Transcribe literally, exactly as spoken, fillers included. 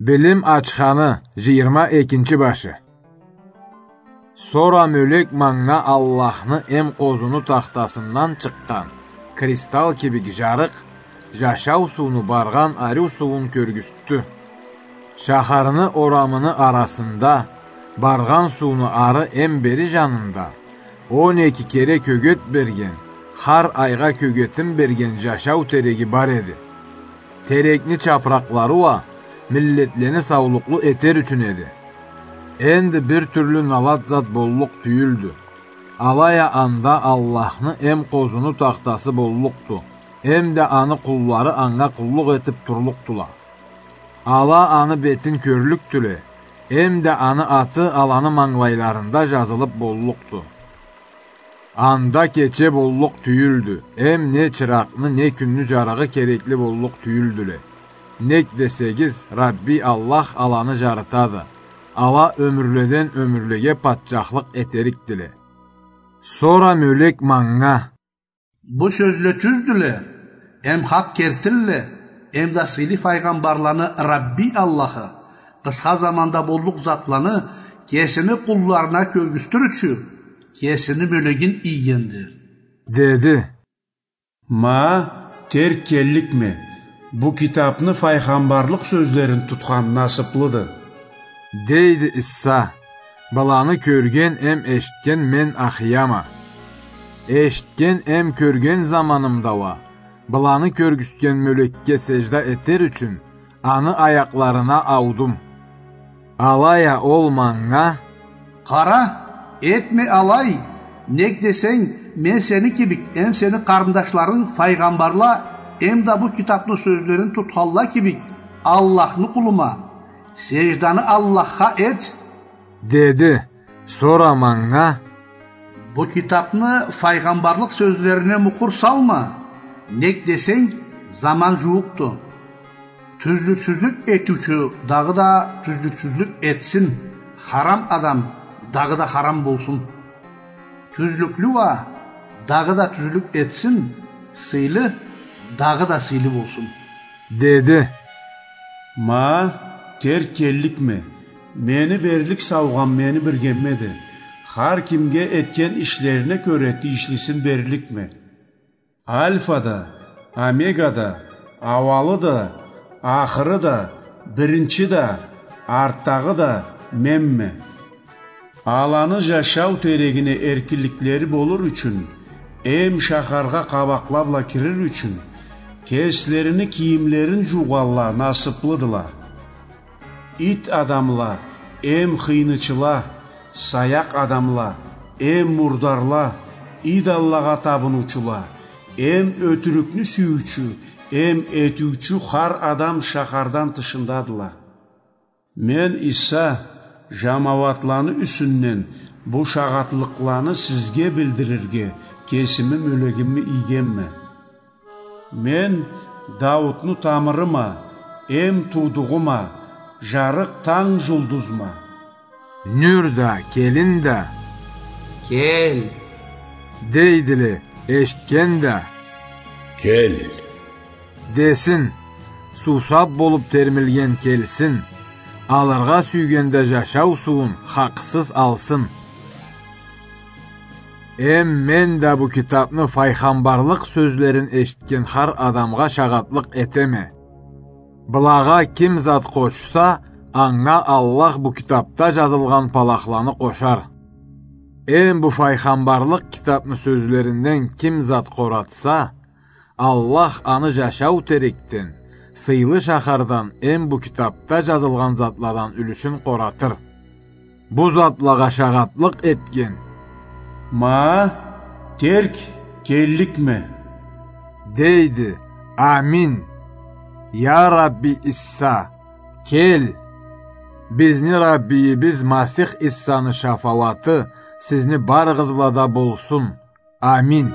Билим ачханы, жыйырма экинчи башы. Сора мёлек манга Аллахны эм къозуну тахтасындан чыкъгъан кристалл кибик жарыкъ, жашау сууну баргъан ариу суун кёргюзтдю. Шахарны орамыны арасында, баргъан сууну ары эм бери жанында, он эки кере кёгет берген, хар айгъа кёгетин берген жашау тереги бар эди. Терекни чапыракълары уа миллетлени саулукълу этер ючюн эди. Энди бир тюрлю налат зат боллукъ тюйюлдю. Алай а анда Аллахны эм къозуну тахтасы боллукъду, эм да аны къуллары анга къуллукъ этип турлукъдула. Ала аны бетин кёрлюкдюле, эм да аны аты аланы мангылайларында жазылып боллукъду. Анда кече боллукъ тюйюлдю, эм не чыракъны, не кюнню жарыгъы керекли боллукъ тюйюлдюле. Нек десегиз, Рабби Аллах аланы жарытады. Ала ёмюрледен ёмюрлеге патчахлыкъ этерикдиле. Сора мёлек манга: «Бу сёзле тюздюле, эм хакъ кертилле, эм да сыйлы файгъамбарланы Рабби Аллахы къысха заманда боллукъ затланы кесини къулларына кёргюзтюр ючюн кесини мёлегин ийгенди», — деди. «Ма, терк келликме, бу китапны файгъамбарлыкъ сёзлерин тутхан насыплыды», — дейди Иса. «Быланы кёрген эм эшитген мен ахыяма. Эшитген эм кёрген заманымда уа, быланы кёргюзтген мёлекге сежда этер ючюн, аны аякъларына аудум». Алай а ол манга: «Къара, этме алай, нек десенг, мен сени кибик, эм сени къарындашларынг файгъамбарла, эм да бу китапны сёзлерин тутханла кибик, Аллахны къулума. Сежданы Аллахха эт», — деди. Сора манга: «Бу китапны файгъамбарлыкъ сёзлерине мукъур салма, нек десенг, заман жууукъду. Тюзлюксюзлюк этиучю дагъыда тюзлюксюзлюк этсин, харам адам дагъыда харам болсун. Тюзлюклю уа дагъыда тюзлюк этсин, сыйлы дагъыда сыйлы болсун», — деди. «Ма, терк келликме, мени берлик саугъам мени биргеммеди. Хар кимге этген ишлерине кёре тийишлисин берликме. Альфа да, Омега да, ауалы да, ахыры да, биринчи да, артдагъы да менме. Аланы жашау терегине эркинликлери болур ючюн, эм шахаргъа къабакъла бла кирир ючюн, кеслерини кийимлерин жуугъанла насыплыдыла. Ит адамла, эм хыйнычыла, саякъ адамла, эм мурдарла, идоллагъа табыныучула, эм ётюрюкню сюйюучю, эм этиучю хар адам шахардан тышындадыла. Мен Иса жамауатланы юсюнден бу шагъатлыкъланы сизге билдирирге кесими мёлегими ийгенме. Мен Даутну тамырыма, эм туудугъума, жарыкъ танг жулдузма. Нюр да, келин да: «Кел!» — дейдиле, эшитген да: «Кел!» — десин, суусап болуп термилген келсин, алыргъа сюйген да жашау суун хакъсыз алсын. Эм мен да бу китапны файгъамбарлыкъ сёзлерин эшитген хар адамгъа шагъатлыкъ этеме. Былагъа ким зат къошса, анга Аллах бу китапда жазылгъан палахланы къошар. Эм бу файгъамбарлыкъ китапны сёзлеринден ким зат къоратса, Аллах аны жашау терекден, сыйлы шахардан эм бу китапда жазылгъан затладан юлюшюн къоратыр. Бу затлагъа шагъатлыкъ этген: «Ма, терк келликме», — дейди. Амин. Я Рабби Иса, кел! Бизни Раббийибиз Масих Исаны шафауаты сизни барыгъыз бла да болсун. Амин.